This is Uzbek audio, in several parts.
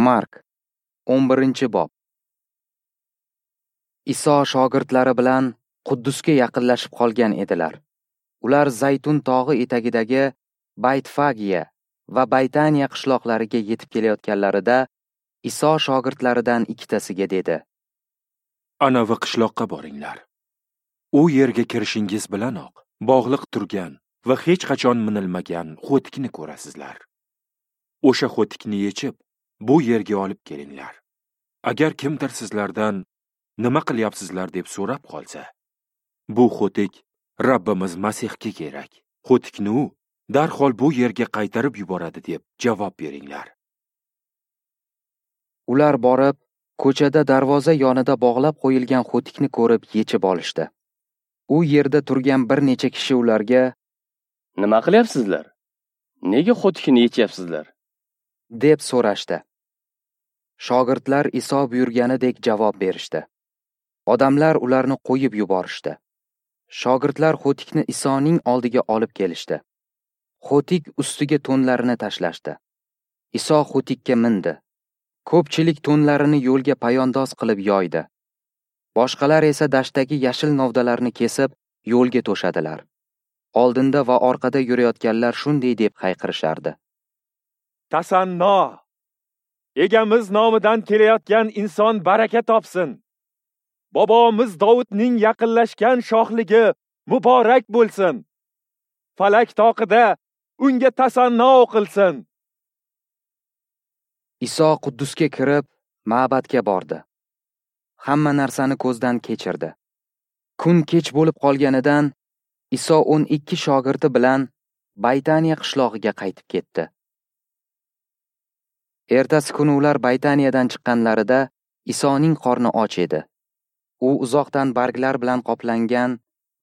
Mark 11-bob. Iso shogirdlari bilan Quddusga yaqinlashib qolgan edilar. Ular Zaytun tog'i etagidagi Baytfagiya va Baytaniya qishloqlariga yetib kelayotganlarida Iso shogirdlaridan ikkitasiga dedi: Anavi qishloqqa boringlar. U yerga kirishingiz bilanoq bog'liq turgan va hech qachon minilmagan xo'tikni ko'rasizlar. O'sha xo'tikni yechib, bu yerga olib kelinglar. Agar kimdir sizlardan nima qilyapsizlar deb so'rab qolsa, bu xo'tik Rabbimiz Masihga kerak. Xo'tikni u darhol bu yerga qaytarib yuboradi deb javob beringlar. Ular borib, ko'chada darvoza yonida bog'lab qo'yilgan xo'tikni ko'rib yechib olishdi. U yerda turgan bir necha kishi ularga: Nima qilyapsizlar? Nega xo'tikni yechyapsizlar? deb so'rashdi. Shogirdlar Iso buyurganidek javob berishdi. Odamlar ularni qo'yib yuborishdi. Shogirdlar xo'tikni Isoning oldiga olib kelishdi. Xo'tik ustiga to'nlarini tashlashdi. Iso xo'tikka mindi. Ko'pchilik to'nlarini yo'lga payondoz qilib yoydi. Boshqalar esa dashtdagi yashil novdalarni kesib yo'lga to'shadilar. Oldinda va orqada yurayotganlar shunday deb hayqirishardi: Tasanno! Egamiz nomidan kelayotgan inson baraka topsin. Bobomiz Dovudning yaqinlashgan shohligi muborak bo'lsin. Falak toqida unga tasanno o'qilsin. Iso Quddusga kirib, ma'badga bordi. Hamma narsani ko'zdan kechirdi. Kun kech bo'lib qolganidan Iso 12 shogirdi bilan Baytaniya qishlog'iga qaytib ketdi. Ertasi kuni ular Baytaniyadan chiqqanlarida Isoning qorni och edi. U uzoqdan barglar bilan qoplangan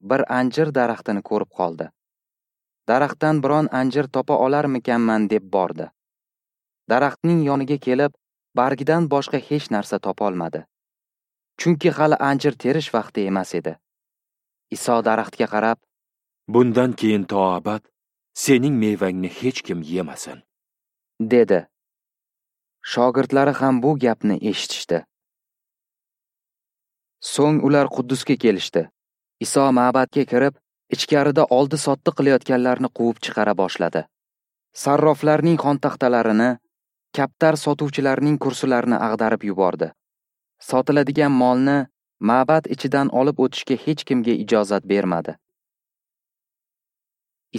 bir anjir daraxtini ko'rib qoldi. Daraxtdan biron anjir topa olarmikanman deb bordi. Daraxtning yoniga kelib, bargidan boshqa hech narsa topa olmadi. Chunki hali anjir terish vaqti emas edi. Iso daraxtga qarab: Bundan keyin to abad sening mevangni hech kim yemasin, dedi. Shogirdlari ham bu gapni eshitishdi. So'ng ular Quddusga kelishdi. Iso ma'badga kirib, ichkarida oldi-sotdi qilayotganlarni quvib chiqara boshladi. Sarroflarning xontaxtalarini, kaptar sotuvchilarning kursilarini ag'darib yubordi. Sotiladigan molni ma'bad ichidan olib o'tishga hech kimga ijozat bermadi.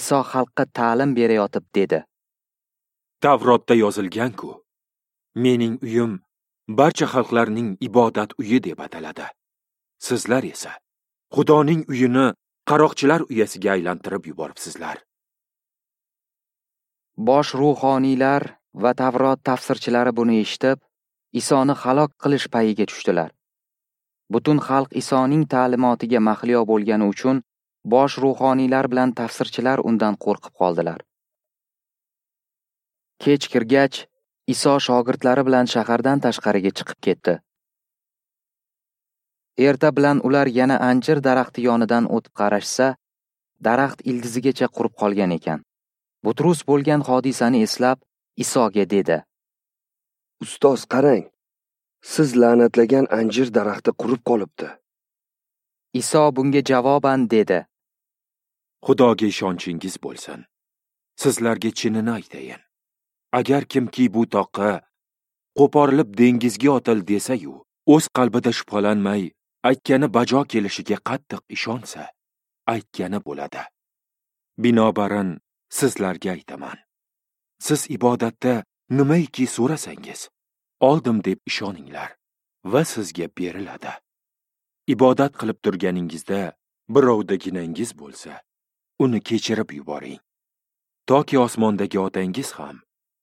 Iso xalqqa ta'lim berayotib dedi: Tavrotda yozilgan-ku, mening uyim barcha xalqlarning ibodat uyi deb ataladi. Sizlar esa Xudoning uyini qaroqchilar uyasiga aylantirib yuboribsizlar. Bosh ruhoniylar va Tavrot tafsirchilari buni eshitib, Isoni halok qilish payiga tushdilar. Butun xalq Isoning ta'limotiga mahliyo bo'lgani uchun bosh ruhoniylar bilan tafsirchilar undan qo'rqib qoldilar. Kech kirgach, Iso shogirdlari bilan shahardan tashqariga chiqib ketdi. Erta bilan ular yana anjir daraxti yonidan o'tib qarashsa, daraxt ildizigacha qurib qolgan ekan. Butrus bo'lgan hodisani eslab, Isoga dedi: Ustoz, qarang, siz la'natlagan anjir daraxti qurib qolibdi. Iso bunga javoban dedi: Xudoga ishonchingiz bo'lsin. Sizlarga chinini aytayin. Agar kimki bu toqqa qo'porilib dengizga otil desa-yu, o'z qalbida shubhalanmay, aytgani bajo kelishiga qattiq ishonsa, aytgani bo'ladi. Binobarin sizlarga aytaman. Siz ibodatda nimaiki so'rasangiz, oldim deb ishoninglar va sizga beriladi. Ibodat qilib turganingizda birovda ginangiz bo'lsa, uni kechirib yuboring. Toki osmondagi otangiz ham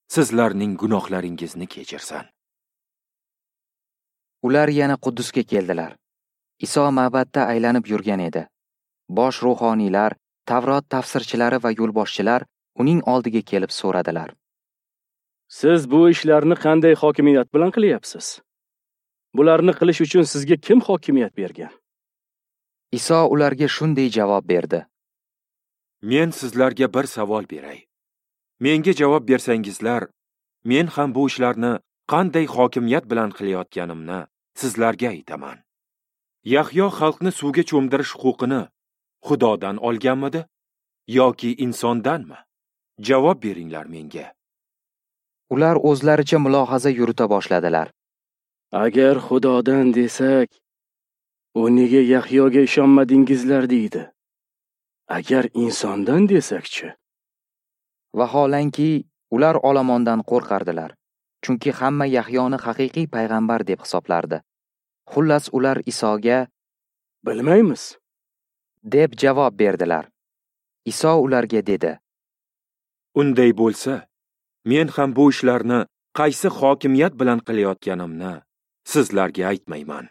sizlarning gunohlaringizni kechirsin. Ular yana Quddusga keldilar. Iso ma'badda aylanib yurgan edi. Bosh ruhoniylar, Tavrot tafsirchilari va yo'lboshchilar uning oldiga kelib so'radilar: Siz bu ishlarni qanday hokimiyat bilan qilyapsiz? Bularni qilish uchun sizga kim hokimiyat bergan? Iso ularga shunday javob berdi: Men sizlarga bir savol beray. Menga javob bersangizlar, men ham bu ishlarni qanday hokimiyat bilan qilayotganimni sizlarga aytaman. Yahyo xalqni suvga cho'mdirish huquqini Xudodan olganmidi yoki insondanmi? Javob beringlar menga. Ular o'zlaricha mulohaza yurita boshladilar. Agar Xudodan desak, u nega Yahyoga ishonmadingizlar deydi. Agar insondan desakchi? Vaholanki, ular olomondan qo'rqardilar, chunki hamma Yahyoni haqiqiy payg'ambar deb hisoblardi. Xullas, ular Isoga "Bilmaymiz" deb javob berdilar. Iso ularga dedi: Unday bo'lsa, men ham bu ishlarni qaysi hokimiyat bilan qilayotganimni sizlarga aytmayman.